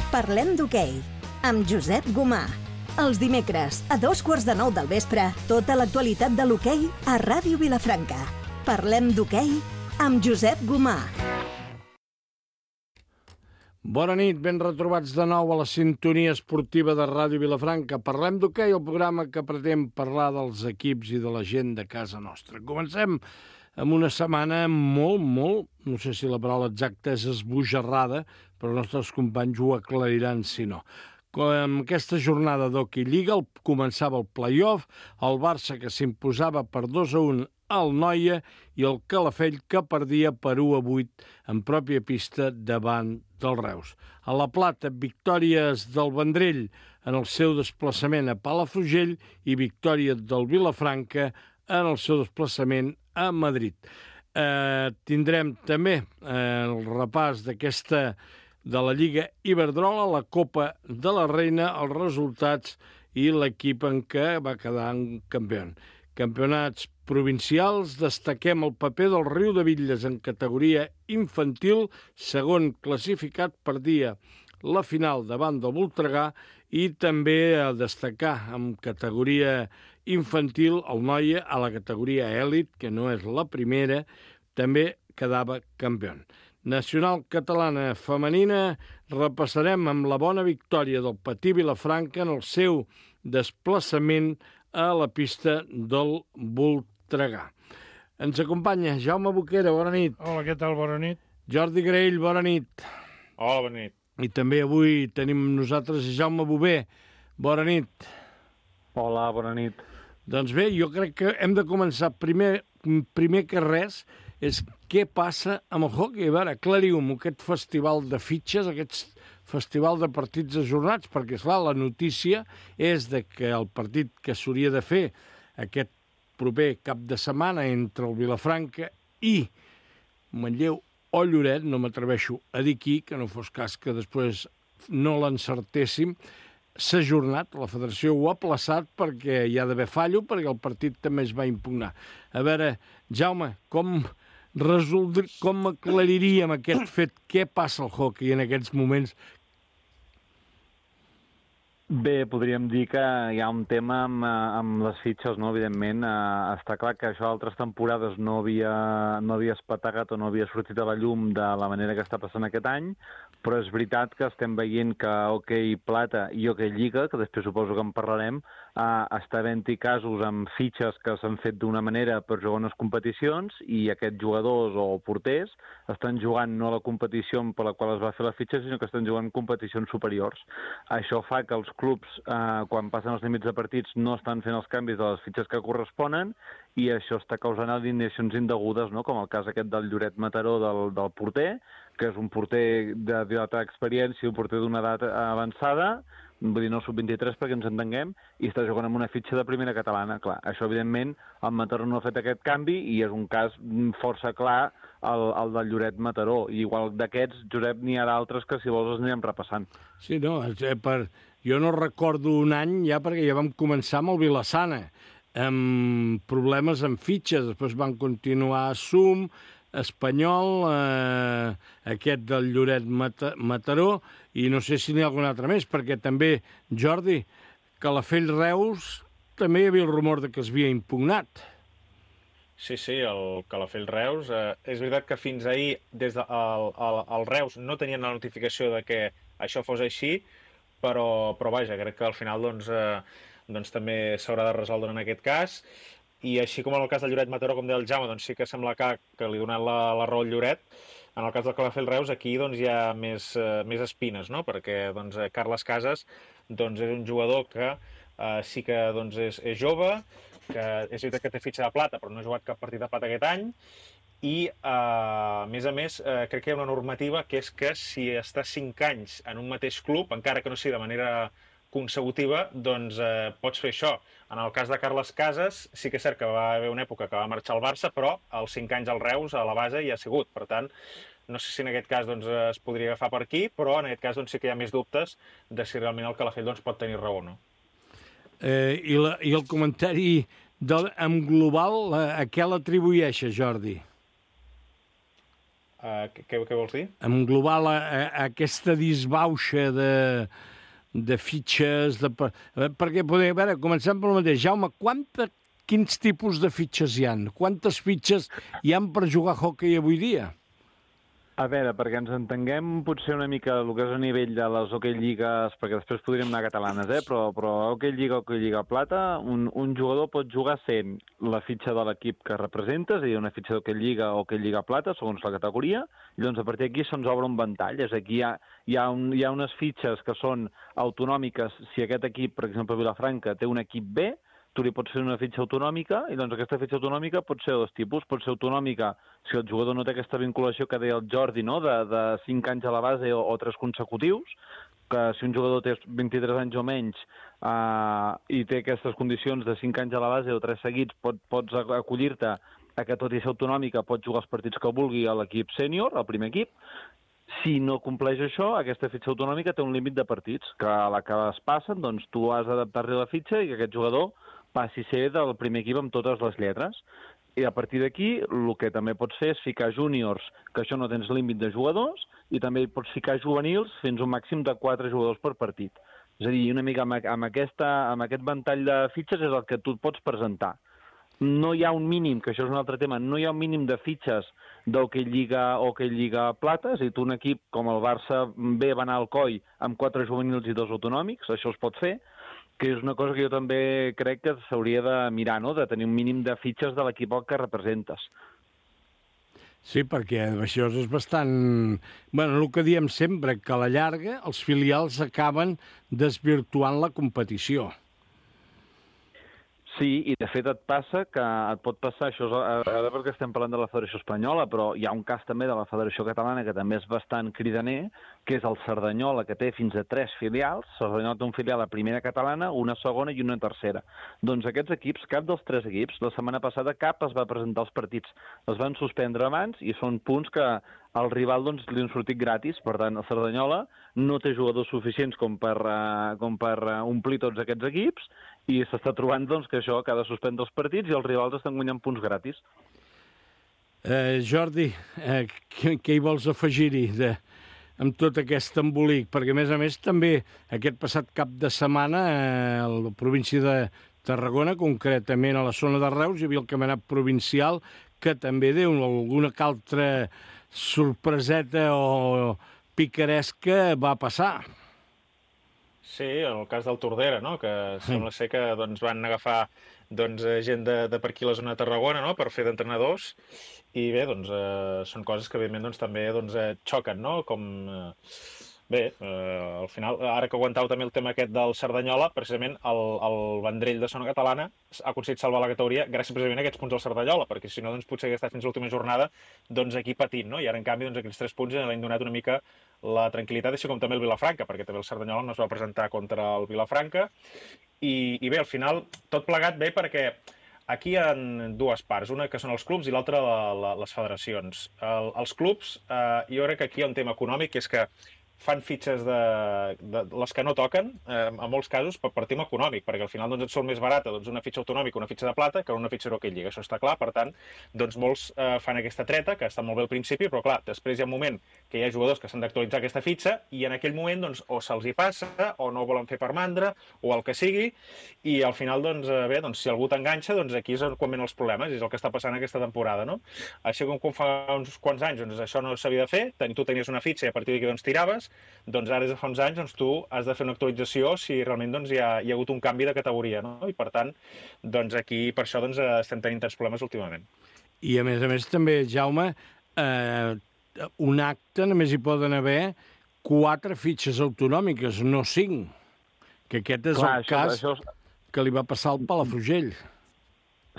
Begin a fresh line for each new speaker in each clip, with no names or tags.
Parlem d'hoquei, amb Josep Gomà. Els dimecres, a 8:45 del vespre, tota l'actualitat de l'hoquei a Ràdio Vilafranca. Parlem d'hoquei amb Josep Gomà.
Bona nit, ben retrobats de nou a la sintonia esportiva de Ràdio Vilafranca. Parlem d'hoquei, el programa que pretén parlar dels equips i de la gent de casa nostra. Comencem amb una setmana molt, no sé si la paraula exacta és esbojarrada, però els nostres companys ho aclariran si no. Amb aquesta jornada d'Hockey Lliga començava el play-off, el Barça que s'imposava per 2-1 al Noia i el Calafell que perdia per 1-8 en pròpia pista davant del Reus. A La Plata, victòries del Vendrell en el seu desplaçament a Palafrugell i victòria del Vilafranca en el seu desplaçament a Madrid. Tindrem també el repàs de la Lliga Iberdrola, la Copa de la Reina, els resultats i l'equip en què va quedar campió. Campionats provincials, destaquem el paper del Riudebitlles en categoria infantil, segon classificat, perdia la final davant del Voltregà, i també a destacar en categoria infantil el Noia a la categoria èlit, que no és la primera, també quedava campió. Nacional catalana femenina, repassarem amb la bona victòria del Patí Vilafranca en el seu desplaçament a la pista del Voltregà. Ens acompanya Jaume Boquera, bona nit.
Hola, què tal? Bona nit.
Jordi Graell, bona nit.
Hola, bona nit.
I també avui tenim amb nosaltres Jaume Bové, bona nit.
Hola, bona nit.
Doncs bé, jo crec que hem de començar primer que res, és què passa amb el hoquei. A veure, aclariu-me aquest festival de fitxes, aquest festival de partits ajornats, perquè, esclar, la notícia és de que el partit que s'hauria de fer aquest proper cap de setmana entre el Vilafranca i Manlleu o Lloret, no m'atreveixo a dir qui, que no fos cas que després no l'encertéssim, s'ha ajornat, la federació ho ha aplaçat perquè hi ha d'haver fallo, perquè el partit també es va impugnar. A veure, Jaume, com aclariríem aquest fet? Què passa al hoquei en aquests moments?
Bé, podríem dir que hi ha un tema amb les fitxes, no? Evidentment, està clar que això altres temporades no havia espategat o no havia sortit a la llum de la manera que està passant aquest any, però és veritat que estem veient que Hoquei Plata i Hoquei Lliga, que després suposo que en parlarem, està havent-hi casos amb fitxes que s'han fet d'una manera per jugar unes competicions i aquests jugadors o porters estan jugant no a la competició per la qual es va fer la fitxa, sinó que estan jugant competicions superiors. Això fa que els clubs, quan passen els límits de partits, no estan fent els canvis de les fitxes que corresponen i això està causant alineacions indegudes, no? Com el cas aquest del Lloret Mataró del porter, que és un porter d'alta experiència, un porter d'una edat avançada, vull dir, no sub-23 perquè ens entenguem, i està jugant amb una fitxa de primera catalana. Clar, això, evidentment, el Mataró no ha fet aquest canvi i és un cas força clar el del Lloret Mataró. I igual d'aquests, Josep, n'hi ha d'altres que, si vols, els anirem repassant.
Sí, no, jo no recordo un any ja, perquè ja vam començar amb el Vilassana, amb problemes amb fitxes, després van continuar Sum, Espanyol, aquest del Lloret Mataró, i no sé si n'hi ha algun altre més, perquè també, Jordi, Calafell Reus, també hi havia el rumor de que es havia impugnat.
Sí, el Calafell Reus. És veritat que fins ahir, des del Reus, no tenien la notificació de que això fos així, però vaja, crec que al final doncs també s'haurà de resoldre en aquest cas. I així com en el cas del Lloret Mataró, com deia el Jaume, doncs sí que sembla que li ha donat la raó al Lloret. En el cas del Calafell Reus, aquí doncs, hi ha més espines, no? Perquè doncs, Carles Casas doncs, és un jugador que sí que doncs, és jove, que és veritat que té fitxa de plata, però no ha jugat cap partit de plata aquest any, i a més, crec que hi ha una normativa que és que si està 5 anys en un mateix club, encara que no sigui de manera consecutiva, doncs pots fer això. En el cas de Carles Casas, sí que és cert que va haver una època que va marxar al Barça, però als 5 anys al Reus, a la base, hi ha sigut. Per tant, no sé si en aquest cas doncs, es podria agafar per aquí, però en aquest cas doncs, sí que hi ha més dubtes de si realment el Calafell doncs, pot tenir raó o no.
I el comentari en global, a què l'atribueixes, Jordi?
Què vols dir?
Englobar aquesta disbauxa de fitxes... Perquè, a veure, comencem pel mateix. Jaume, quins tipus de fitxes hi han? Quantes fitxes hi han per jugar a hoquei avui dia?
A veure, perquè ens entenguem potser una mica el que és a nivell de les Hockey Lligues, perquè després podríem anar catalanes, però Hockey Lliga Plata, un jugador pot jugar sent la fitxa de l'equip que representa, és a dir, una fitxa d'Hockey Lliga o Hockey Lliga Plata, segons la categoria, i doncs a partir d'aquí se'ns obre un ventall. És a dir, hi ha unes fitxes que són autonòmiques. Si aquest equip, per exemple, Vilafranca, té un equip B, tu li pots fer una fitxa autonòmica, i doncs aquesta fitxa autonòmica pot ser de dos tipus. Pot ser autonòmica si el jugador no té aquesta vinculació que deia el Jordi, no?, de 5 anys a la base o 3 consecutius, que si un jugador té 23 anys o menys i té aquestes condicions de 5 anys a la base o 3 seguits, pots acollir-te a que, tot i ser autonòmica, pots jugar els partits que vulgui a l'equip sènior, al primer equip. Si no compleix això, aquesta fitxa autonòmica té un límit de partits, que a la que es passen, doncs tu has d'adaptar-li la fitxa i que aquest jugador passi a ser del primer equip amb totes les lletres. I a partir d'aquí, el que també pots fer és ficar júniors, que això no tens límit de jugadors, i també pots ficar juvenils fins a un màxim de 4 jugadors per partit. És a dir, una mica amb aquest ventall de fitxes és el que tu et pots presentar. No hi ha un mínim, que això és un altre tema, no hi ha un mínim de fitxes d'Hockey Lliga o Hockey Lliga Plata. És a dir, tu un equip com el Barça B va anar al COI amb 4 juvenils i 2 autonòmics, això es pot fer, que és una cosa que jo també crec que s'hauria de mirar, no?, de tenir un mínim de fitxes de l'equip que representes.
Sí, perquè això és bastant... Bueno, el que diem sempre, que a la llarga els filials acaben desvirtuant la competició.
Sí, i de fet et pot passar, això és ara perquè estem parlant de la Federació Espanyola, però hi ha un cas també de la Federació Catalana que també és bastant cridaner, que és el Cerdanyola, que té fins a 3 filials. Cerdanyola té un filial a primera catalana, una segona i una tercera. Doncs aquests equips, cap dels 3 equips, la setmana passada cap es va presentar als partits. Els van suspendre abans i són punts que al rival doncs, li han sortit gratis. Per tant, el Cerdanyola no té jugadors suficients com per omplir tots aquests equips, i s'està trobant doncs, que això que ha de suspendre els partits i els rivals estan guanyant punts gratis.
Jordi, què hi vols afegir-hi amb tot aquest embolic? Perquè, a més, també aquest passat cap de setmana a la província de Tarragona, concretament a la zona de Reus, hi havia el campionat provincial que també deu alguna altra sorpreseta o picaresca va passar.
Sí, en el cas del Tordera, no?, que sembla ser que doncs, van agafar gent de per aquí a la zona de Tarragona, no?, per fer d'entrenadors, i bé, doncs, són coses que evidentment doncs, també xoquen, no?, com... Bé, al final, ara que aguantau també el tema aquest del Cerdanyola, precisament el Vendrell de zona catalana ha aconseguit salvar la categoria gràcies precisament a aquests punts del Cerdanyola, perquè si no, doncs, potser hagués estat fins a l'última jornada aquí patint, no? I ara, en canvi, doncs, aquests 3 punts li han donat una mica la tranquil·litat, així com també el Vilafranca, perquè també el Cerdanyola no es va presentar contra el Vilafranca. I bé, al final, tot plegat bé perquè aquí hi ha 2 parts, una que són els clubs i l'altra les federacions. Els clubs, jo crec que aquí hi ha un tema econòmic, que és que fan fitxes de les que no toquen, en molts casos, per tema econòmic, perquè al final doncs, et surt més barata una fitxa autonòmica, una fitxa de plata, que una fitxa d'Hockey Lliga. Això està clar, per tant, doncs molts fan aquesta treta, que està molt bé al principi, però clar, després hi ha un moment que hi ha jugadors que s'han d'actualitzar aquesta fitxa i en aquell moment doncs, o se'ls hi passa, o no ho volen fer per mandra, o el que sigui, i al final, doncs, bé, doncs, si algú t'enganxa, doncs aquí és quan venen els problemes, és el que està passant aquesta temporada, no? Així com fa uns quants anys, doncs això no s'havia de fer, tu tenies una fitxa i a partir d'aquí doncs tiraves, doncs ara des de fa uns anys doncs, tu has de fer una actualització si realment doncs, hi ha hagut un canvi de categoria, no? I per tant, doncs, aquí per això doncs, estem tenint tants problemes últimament.
I a més també, Jaume, un acte només hi poden haver 4 fitxes autonòmiques, no 5, que aquest és el cas que li va passar al Palafrugell.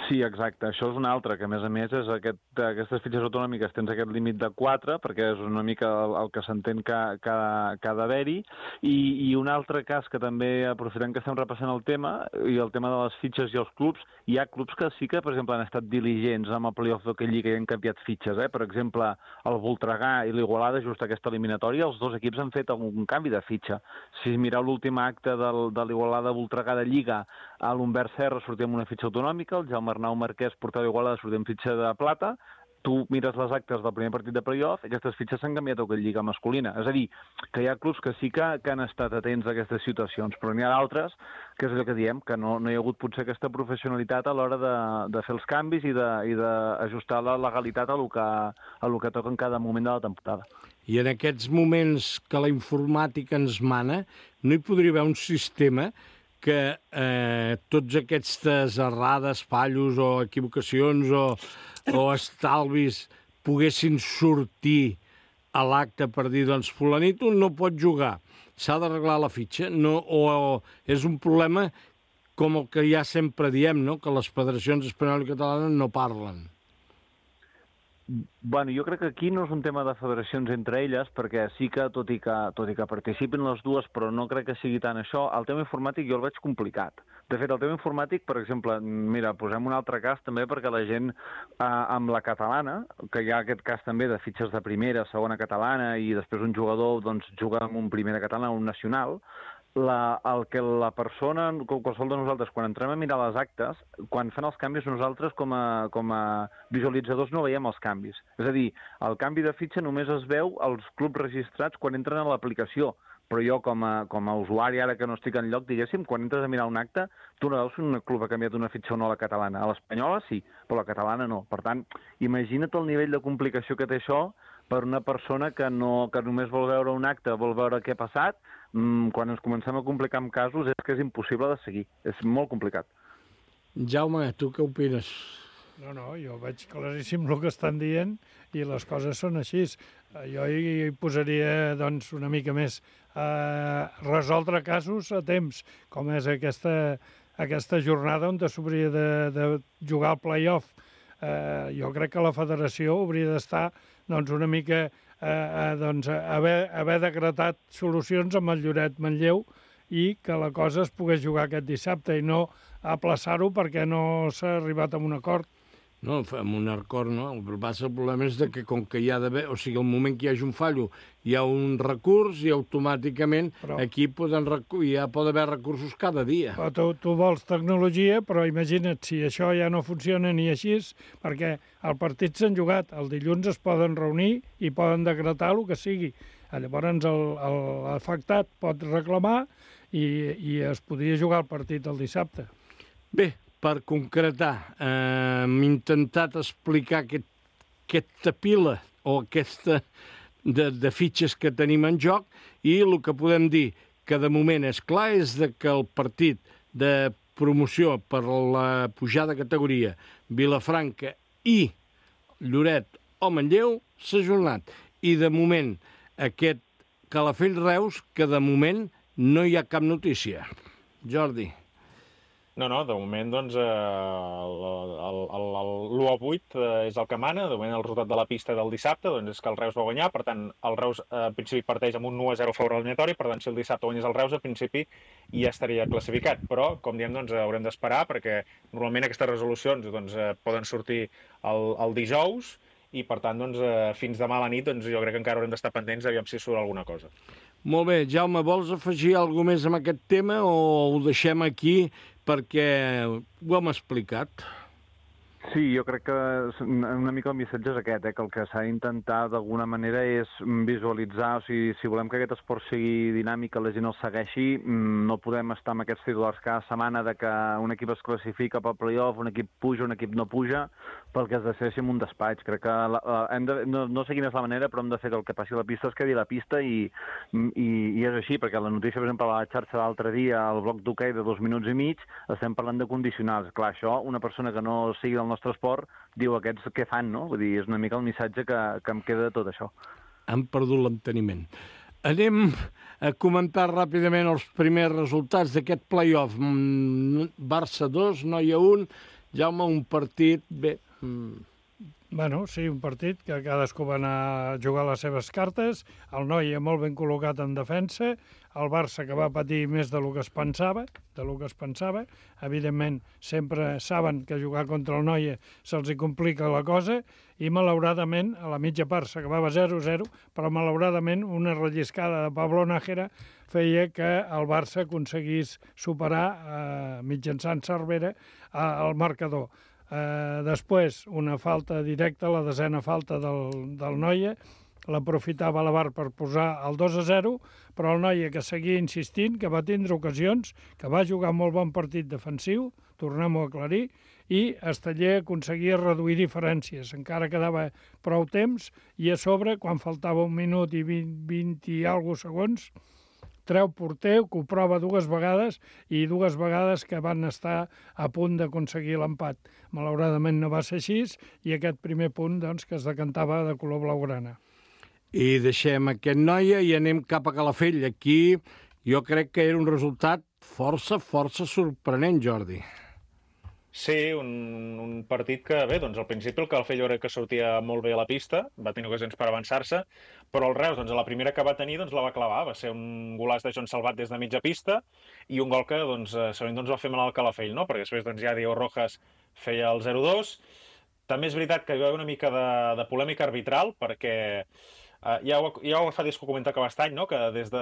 Sí, exacte. Això és un altre, que a més és aquestes fitxes autonòmiques tens aquest límit de 4, perquè és una mica el que s'entén que ha d'haver-hi, i un altre cas que també, aprofitant que estem repassant el tema, i el tema de les fitxes i els clubs, hi ha clubs que sí que, per exemple, han estat diligents amb el playoff d'Hockey Lliga i han canviat fitxes. Per exemple, el Voltregà i l'Igualada, just aquesta eliminatòria, els 2 equips han fet un canvi de fitxa. Si mireu l'últim acte de l'Igualada-Voltregà de Lliga, a l'Humbert Serra sortia amb una fitxa autonòmica, el Jaume Arnau Marquès portava Igualada sortia amb fitxa de plata, tu mires les actes del primer partit de playoff i aquestes fitxes s'han canviat a aquesta lliga masculina. És a dir, que hi ha clubs que sí que han estat atents a aquestes situacions, però n'hi ha d'altres, que és el que diem, que no hi ha hagut potser aquesta professionalitat a l'hora de fer els canvis i d'ajustar la legalitat a lo que toca en cada moment de la temporada.
I en aquests moments que la informàtica ens mana, no hi podria haver un sistema que tots aquestes errades, fallos o equivocacions o estalvis poguessin sortir a l'acte per dir, doncs, fulanito no pot jugar, s'ha d'arreglar la fitxa, o és un problema com el que ja sempre diem, no?, que les federacions espanyoles i catalanes no parlen.
Bueno, jo crec que aquí no és un tema de federacions entre elles, perquè sí que, tot i que participin les dues, però no crec que sigui tant això, el tema informàtic jo el veig complicat. De fet, el tema informàtic, per exemple, mira, posem un altre cas també perquè la gent amb la catalana, que hi ha aquest cas també de fitxes de primera, segona catalana, i després un jugador doncs, juga amb un primera catalana o un nacional, el que la persona, qualsevol de nosaltres, quan entrem a mirar les actes, quan fan els canvis, nosaltres com a visualitzadors no veiem els canvis. És a dir, el canvi de fitxa només es veu als clubs registrats quan entren a l'aplicació, però jo com a usuari, ara que no estic enlloc, diguéssim, quan entres a mirar un acte, tu no veus si un club ha canviat una fitxa o no a la catalana. A l'espanyola sí, però a la catalana no. Per tant, imagina't el nivell de complicació que té això per una persona que només vol veure un acte, vol veure què ha passat, quan ens comencem a complicar amb casos és que és impossible de seguir. És molt complicat.
Jaume, tu què opines?
No, jo veig claríssim el que estan dient i les coses són així. Jo hi posaria doncs, una mica més resoldre casos a temps, com és aquesta jornada on s'hauria de jugar al play-off. Jo crec que la federació hauria d'estar doncs, una mica haver decretat solucions amb el Lloret Manlleu i que la cosa es pogués jugar aquest dissabte i no aplaçar-ho perquè no s'ha arribat a un acord.
No, amb un acord no. El problema és que com que hi ha d'haver... O sigui, al moment que hi hagi un fallo, hi ha un recurs i automàticament aquí ja pot haver recursos cada dia.
Però tu vols tecnologia, però imagina't si això ja no funciona ni així, perquè el partit s'han jugat, el dilluns es poden reunir i poden decretar el que sigui. Llavors l'afectat pot reclamar i es podria jugar el partit el dissabte.
Bé, per concretar, hem intentat explicar aquesta pila o aquesta de fitxes que tenim en joc i el que podem dir que de moment és clar és que el partit de promoció per la pujada de categoria Vilafranca i Lloret o Manlleu s'ha ajornat. I de moment aquest Calafell-Reus que de moment no hi ha cap notícia. Jordi.
No, de moment, doncs, l'1-8 és el que mana. De moment, el resultat de la pista del dissabte doncs, és que el Reus va guanyar. Per tant, el Reus, en principi, parteix amb un 1-0 a favor de l'eliminatori. Per tant, si el dissabte guanyés el Reus, en principi, ja estaria classificat. Però, com diem, doncs, haurem d'esperar, perquè normalment aquestes resolucions doncs, poden sortir el dijous i, per tant, doncs, fins demà a la nit doncs, jo crec que encara haurem d'estar pendents aviam si surt alguna cosa.
Molt bé. Jaume, vols afegir alguna cosa més amb aquest tema o ho deixem aquí perquè ho hem explicat?
Sí, jo crec que una mica el missatge és aquest, que el que s'ha d'intentar d'alguna manera és visualitzar, o sigui, si volem que aquest esport sigui dinàmic, que la gent el segueixi, no podem estar amb aquests titulars cada setmana de que un equip es classifica pel playoff, un equip puja, un equip no puja, pel que es decideixi en un despatx. Crec que no sé quina és la manera, però hem de fer que el que passi a la pista es quedi a la pista i és així, perquè la notícia, per exemple, a la xarxa l'altre dia, al bloc d'hoquei de 2 minuts i mig, estem parlant de condicionals. Clar, això, una persona que no sigui del nostre esport, diu aquests què fan, no? Vull dir, és una mica el missatge que em queda de tot això.
Han perdut l'enteniment. Anem a comentar ràpidament els primers resultats d'aquest play-off. Barça 2, Noia 1, Jaume, un partit... Bé...
Bueno, sí, un partit que cadascú va anar a jugar les seves cartes, el Noia molt ben col·locat en defensa, el Barça que va patir més del que es pensava, evidentment sempre saben que jugar contra el Noia se'ls complica la cosa, i malauradament a la mitja part s'acabava 0-0, però malauradament una relliscada de Pablo Nájera feia que el Barça aconseguís superar mitjançant Cervera el marcador. Després, una falta directa, la desena falta del Noia, l'aprofitava la VAR per posar el 2-0, però el Noia que seguia insistint, que va tindre ocasions, que va jugar molt bon partit defensiu, tornem-ho a aclarir, i Esteller aconseguia reduir diferències. Encara quedava prou temps i a sobre, quan faltava 1 minut i 20 i alguna segons, treu porter, que ho prova 2 vegades i 2 vegades que van estar a punt d'aconseguir l'empat. Malauradament no va ser així i aquest primer punt doncs, que es decantava de color blaugrana.
I deixem aquest Noia i anem cap a Calafell. Aquí jo crec que era un resultat força sorprenent, Jordi.
Sí, un partit que, bé, doncs al principi el Calafell jo crec que sortia molt bé a la pista, va tenir ocasions per avançar-se, però el Reus, doncs, a la primera que va tenir, doncs, la va clavar. Va ser un golaç de Joan Salvat des de mitja pista i un gol que, doncs, segurament doncs, va fer mal al Calafell, no? Perquè després, doncs, ja Diego Rojas feia el 0-2. També és veritat que hi va haver una mica de polèmica arbitral, perquè ja ho fa des que ho comentava Cabastany, no? Que des de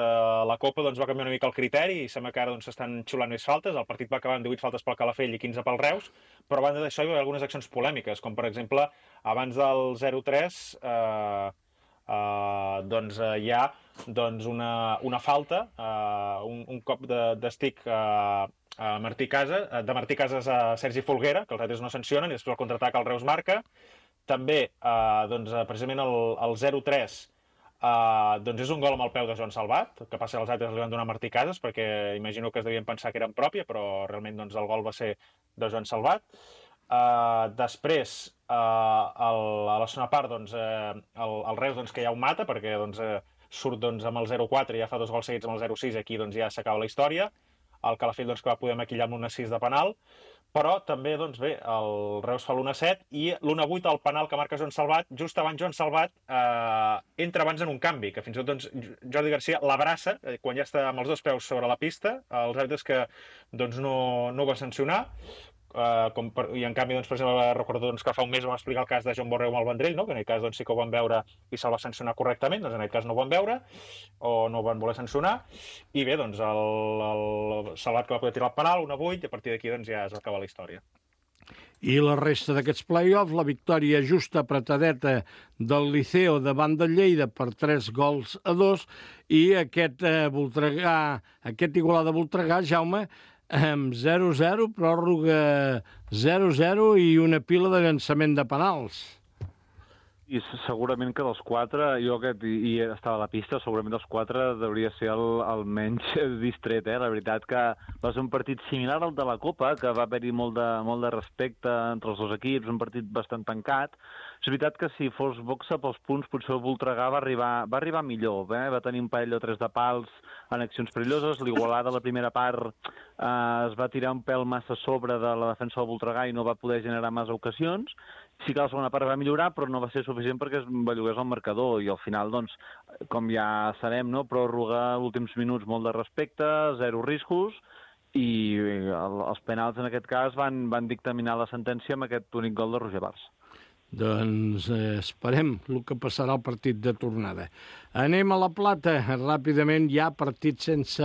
la Copa doncs, va canviar una mica el criteri i sembla que ara doncs, s'estan xulant més faltes. El partit va acabar amb 18 faltes pel Calafell i 15 pel Reus, però a banda d'això hi va haver algunes accions polèmiques, com per exemple, abans del 0-3 doncs, hi ha doncs, una falta, un cop d'estic de Martí Casas a Sergi Folguera, que els altres no sancionen, i després el contraatac el Reus marca. També, doncs, precisament el 0-3 doncs és un gol amb el peu de Joan Salvat, que passa que els altres li van donar a Martí Casas, perquè imagino que es devien pensar que era en pròpia, però realment doncs, el gol va ser de Joan Salvat. Després, a la segona part, doncs, el Reus doncs, que ja ho mata, perquè doncs, surt doncs, amb el 0-4 i ja fa 2 gols seguits amb el 0-6, aquí doncs, ja s'acaba la història. El Calafell doncs, que va poder maquillar amb l'1-6 de penal, però també, doncs bé, el Reus fa l'1-7 i l'1-8, el penal que marca Joan Salvat, just abans Joan Salvat entra abans en un canvi, que fins i tot doncs, Jordi Garcia l'abraça quan ja està amb els 2 peus sobre la pista, els àrbitres que doncs, no va sancionar, i en canvi, doncs, per exemple, recordo doncs, que fa un mes vam explicar el cas de Joan Borreu amb el Vendrell, no? Que en aquest cas doncs, sí que ho van veure i se'l va sancionar correctament, doncs en aquest cas no ho van veure o no ho van voler sancionar, i bé, doncs el Salvat que va poder tirar el penal, 1-8, i a partir d'aquí doncs, ja es va acabar la història.
I la resta d'aquests play-offs, la victòria justa apretadeta del Liceo davant del Lleida per 3-2 i aquest Igualada Voltregà, Jaume, amb 0-0, pròrroga 0-0 i una pila de llançament de penals.
I segurament que dels 4, jo que estava a la pista, segurament dels 4 hauria ser el menys distret. La veritat que va ser un partit similar al de la Copa, que va haver-hi molt de respecte entre els 2 equips, un partit bastant tancat. És veritat que si fos boxa pels punts, potser el Voltregà va arribar millor. Va tenir un parell o 3 de pals en accions perilloses. L'Igualada, la primera part, es va tirar un pèl massa a sobre de la defensa del Voltregà i no va poder generar massa ocasions. Sí que la segona part va millorar, però no va ser suficient perquè es bellugués el marcador i al final, doncs, com ja sabem, no? Pròrroga, últims minuts, molt de respecte, 0 riscos i els penals en aquest cas van dictaminar la sentència amb aquest únic gol de Roger Bars.
Doncs esperem el que passarà al partit de tornada. Anem a La Plata, ràpidament hi ha partit sense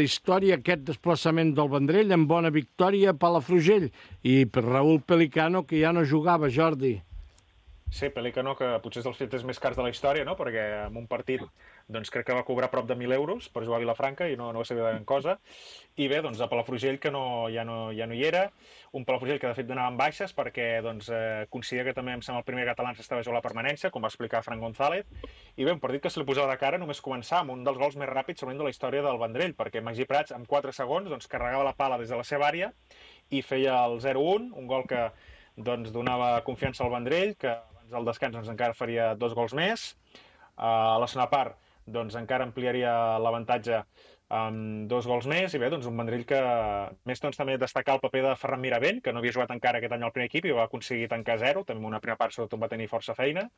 història, aquest desplaçament del Vendrell amb bona victòria a Palafrugell i per Raúl Pelicano, que ja no jugava, Jordi.
Sí, Pelicano, que potser és dels fets més cars de la història, no? Perquè en un partit doncs, crec que va cobrar prop de 1.000 euros per jugar a Vilafranca i no va ser de gran cosa. I bé, doncs, a Palafrugell, que ja no hi era, un Palafrugell que de fet donava en baixes perquè doncs, considera que també em sembla el primer català s'estava jugant la permanència, com va explicar Fran González, i bé, un partit que se li posava de cara només començar amb un dels gols més ràpids segurament de la història del Vendrell, perquè Magí Prats en 4 segons doncs, carregava la pala des de la seva àrea i feia el 0-1, un gol que doncs, donava confiança al Vendrell, que abans del descans doncs, encara faria 2 gols més. A la segona part doncs, encara ampliaria l'avantatge amb 2 gols més, i bé, doncs un Vendrell que més doncs, també destacar el paper de Ferran Miravent, que no havia jugat encara aquest any al primer equip i va aconseguir tancar 0, també una primera part sobretot va tenir força feina,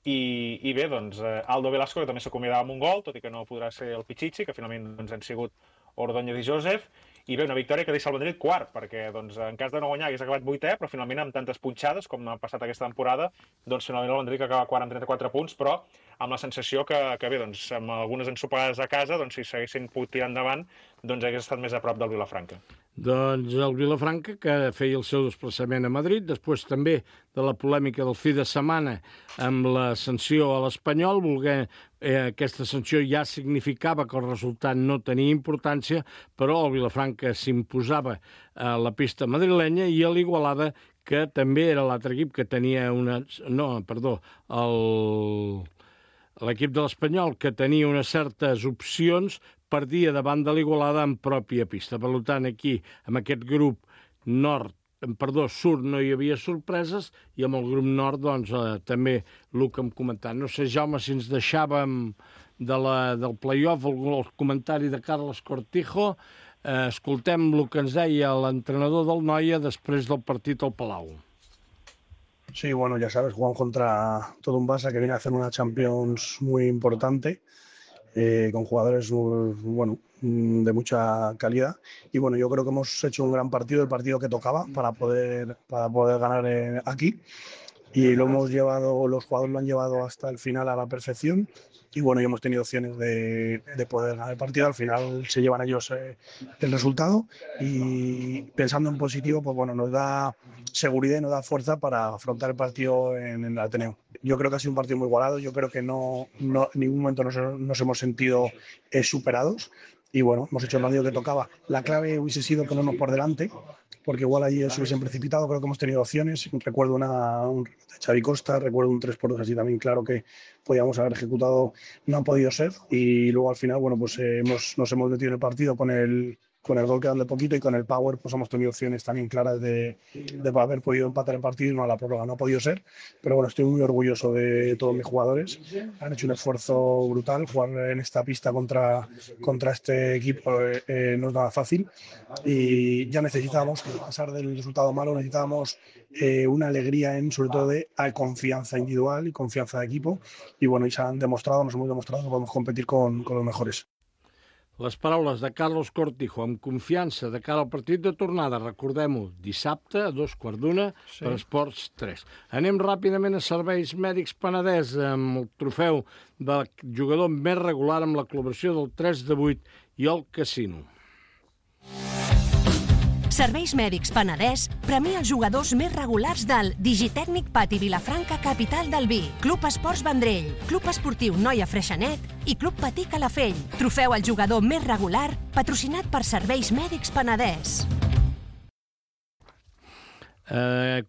i bé, doncs Aldo Velasco, que també s'acomiadava amb un gol, tot i que no podrà ser el Pichichi, que finalment doncs, han sigut Ordóñez i Joseph, i bé, una victòria que deixa el Vendrell quart, perquè doncs, en cas de no guanyar hagués acabat 8è, però finalment amb tantes punxades com ha passat aquesta temporada, doncs finalment el Vendrell que acaba quart amb 34 punts, però amb la sensació que bé, doncs, amb algunes ensopegades a casa, doncs, si s'haguessin pogut tirar endavant, doncs hagués estat més a prop del Vilafranca.
Doncs el Vilafranca, que feia el seu desplaçament a Madrid, després també de la polèmica del fi de setmana amb la sanció a l'Espanyol, aquesta sanció ja significava que el resultat no tenia importància, però el Vilafranca s'imposava a la pista madrilenya i a l'Igualada, que també era l'altre equip que tenia l'equip de l'Espanyol, que tenia unes certes opcions, perdia davant de l'Igualada en pròpia pista. Per tant, aquí, amb aquest grup sud no hi havia sorpreses, i amb el grup nord, doncs, també el que hem comentat. No sé, Jaume, si ens deixàvem del play-off el comentari de Carlos Cortijo. Escoltem el que ens deia l'entrenador del Noia després del partit al Palau.
Sí, bueno, ya sabes, jugamos contra todo un Barça que viene a hacer una Champions muy importante, con jugadores de mucha calidad, y bueno, yo creo que hemos hecho un gran partido, el partido que tocaba para poder ganar aquí, y los jugadores lo han llevado hasta el final a la perfección, y bueno, y hemos tenido opciones de poder ganar el partido. Al final se llevan ellos el resultado, y pensando en positivo, pues bueno, nos da seguridad y nos da fuerza para afrontar el partido en el Ateneo. Yo creo que ha sido un partido muy igualado, yo creo que en ningún momento nos hemos sentido superados, y bueno, hemos hecho el partido que tocaba. La clave hubiese sido ponernos por delante, porque igual allí se hubiesen precipitado. Creo que hemos tenido opciones. Recuerdo un de Xavi Costa, recuerdo un 3-2 así también, claro, que podíamos haber ejecutado, no han podido ser, y luego al final, bueno, pues nos hemos metido en el partido con el gol quedando poquito, y con el power pues hemos tenido opciones también claras de haber podido empatar el partido, y no a la prórroga, no ha podido ser. Pero bueno, estoy muy orgulloso de todos mis jugadores, han hecho un esfuerzo brutal. Jugar en esta pista contra este equipo no es nada fácil, y ya necesitábamos, a pesar del resultado malo, necesitábamos una alegría sobre todo de confianza individual y confianza de equipo, y bueno, y nos hemos demostrado que podemos competir con los mejores.
Les paraules de Carlos Cortijo amb confiança de cara al partit de tornada. Recordem-ho, dissabte a 2:15 per Esports 3. Anem ràpidament a Serveis Mèdics Penedès amb el trofeu del jugador més regular amb la col·laboració del 3/8 i el Casino.
Serveis Mèdics Penedès premia els jugadors més regulars del Digitècnic Pati Vilafranca, capital del vi, Club Esports Vendrell, Club Esportiu Noia Freixenet i Club Patí Calafell. Trofeu al jugador més regular, patrocinat per Serveis Mèdics Penedès.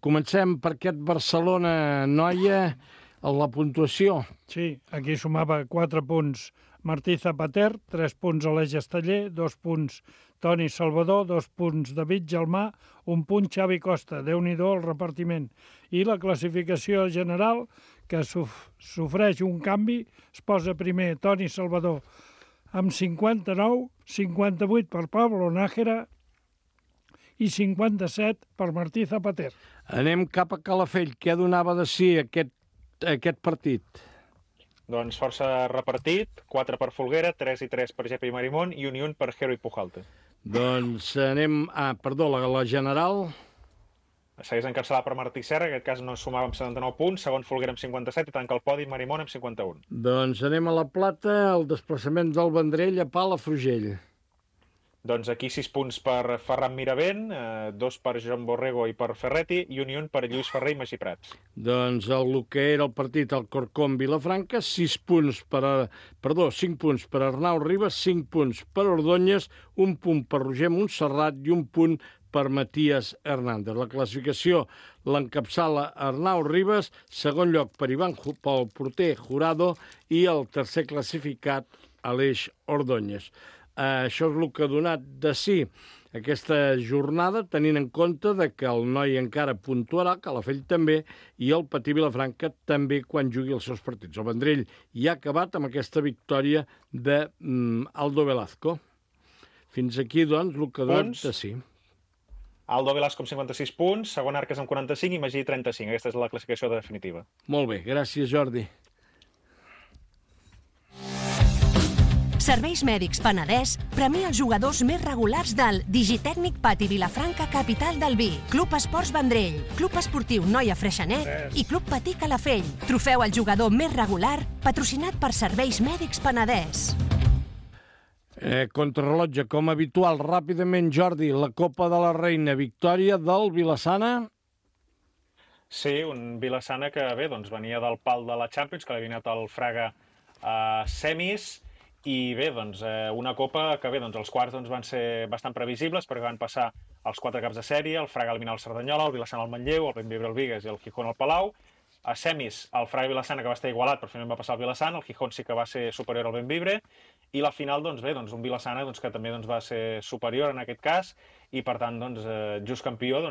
Comencem per aquest Barcelona-Noia, la puntuació.
Sí, aquí sumava 4 punts Martí Zapater, 3 punts Aleix Esteller, 2 punts Toni Salvador, 2 punts David Gelmà, 1 punt Xavi Costa. Déu-n'hi-do el repartiment. I la classificació general, que sofreix un canvi, es posa primer Toni Salvador amb 59, 58 per Pablo Nájera i 57 per Martí Zapater.
Anem cap a Calafell. Què donava de si aquest partit?
Doncs força repartit, 4 per Folguera, 3 i 3 per Gepi Marimón i un per Hero i Pujalte.
Doncs anem... la general.
Segueix encapçalada per Martí Serra, en aquest cas no sumava amb 79 punts, segon Folguera amb 57 i tanca el podi Marimón amb 51.
Doncs anem a la plata, el desplaçament del Vendrell a Palafrugell.
Doncs aquí 6 punts per Ferran Miravent, 2 per Joan Borrego i per Ferretti, i un per Lluís Ferrer i Magí Prats.
Doncs el que era el partit al Corcón Vilafranca, 5 punts per Arnau Ribas, 5 punts per Ordóñez, 1 punt per Roger Montserrat i 1 punt per Matías Hernández. La classificació l'encapçala Arnau Ribas, segon lloc per pel porter Jurado i el tercer classificat Aleix Ordóñez. Això és el que ha donat de si aquesta jornada, tenint en compte que el Noi encara puntuarà, Calafell també, i el Patí Vilafranca també quan jugui els seus partits. El Vendrell ja ha acabat amb aquesta victòria d'Aldo Velasco. Fins aquí, doncs, el que ha donat de si.
Aldo Velasco amb 56 punts, segon Arques amb 45 i Magí 35. Aquesta és la classificació definitiva.
Molt bé, gràcies, Jordi.
Serveis Mèdics Penedès premia els jugadors més regulars del Digitècnic Pati Vilafranca, capital del vi, Club Esports Vendrell, Club Esportiu Noia Freixenet i Club Patí Calafell. Trofeu al jugador més regular, patrocinat per Serveis Mèdics Penedès.
Contrarrellotge, com habitual, ràpidament, Jordi, la Copa de la Reina, victòria del Vila-sana.
Sí, un Vila-sana que bé, doncs venia del pal de la Champions, que l'ha eliminat el Fraga a semis, i bé, doncs una Copa que bé, doncs els quarts doncs, van ser bastant previsibles perquè van passar els 4 caps de sèrie, el Fraga eliminar el Cerdanyola, el Vila-sana al Manlleu, el Bellvitge al Bigues i el Gijón al Palau. A semis, el Fraga i Vila-sana, que va estar igualat, però finalment va passar el Vila-sana, el Gijón sí que va ser superior al Bellvitge, i la final, doncs bé, doncs un Vila-sana que també va ser superior en aquest cas, i per tant, just campió,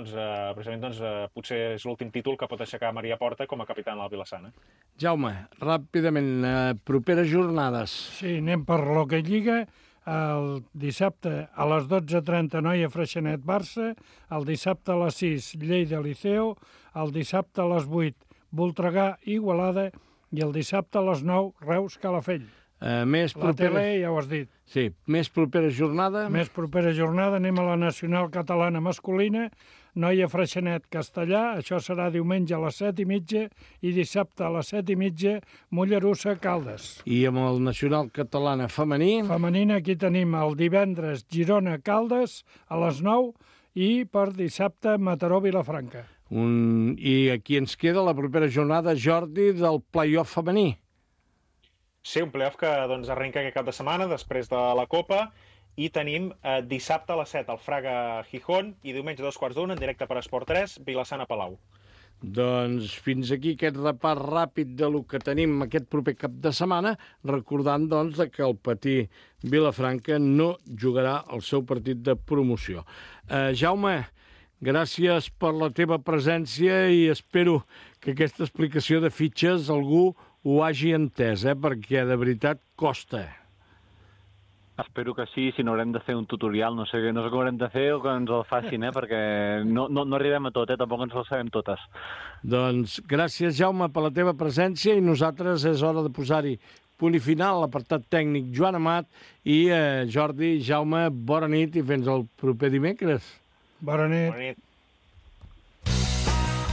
precisament potser és l'últim títol que pot aixecar Maria Porta com a capità del Vila-sana.
Jaume, ràpidament, properes jornades.
Sí, anem per l'Hockey Lliga. El dissabte a les 12:30 Noia Freixenet Barça, el dissabte a les 6 Lleida Liceo, el dissabte a les 8 Voltregà Igualada i el dissabte a les 9 Reus Calafell. La tele ja ho has dit.
Sí, més propera jornada.
Més propera jornada anem a la Nacional Catalana Masculina, Noia Freixenet Castellà, això serà diumenge a les 7:30 i dissabte a les 7:30 Mollerussa Caldes.
I amb el Nacional Catalana Femení?
Femenina aquí tenim el divendres Girona Caldes a les 9 i per dissabte Mataró Vilafranca.
I aquí ens queda la propera jornada, Jordi, del play-off femení.
Sí, un play-off que arrenca aquest cap de setmana després de la Copa i tenim dissabte a les 7 el Fraga Gijón i diumenge a 2:15 en directe per Esport 3, Vila-sana Palau.
Doncs fins aquí aquest repàs ràpid de lo que tenim aquest proper cap de setmana, recordant que el Patí Vilafranca no jugarà el seu partit de promoció. Jaume, gràcies per la teva presència i espero que aquesta explicació de fitxes algú ho hagi entès, perquè de veritat costa.
Espero que sí, si no haurem de fer un tutorial, no sé què haurem de fer o que ens el facin, perquè no arribem a tot, tampoc ens ho sabem totes.
Doncs gràcies, Jaume, per la teva presència i nosaltres és hora de posar-hi punt i final, l'apartat tècnic Joan Amat i Jordi, Jaume, bona nit i fins al proper dimecres.
Bona nit.
Bona nit.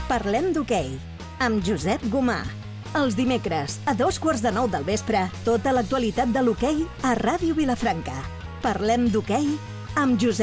Parlem d'hoquei amb Josep Gomà. Els dimecres, a 9:15 del vespre, tota l'actualitat de l'hoquei a Ràdio Vilafranca. Parlem d'hoquei amb Josep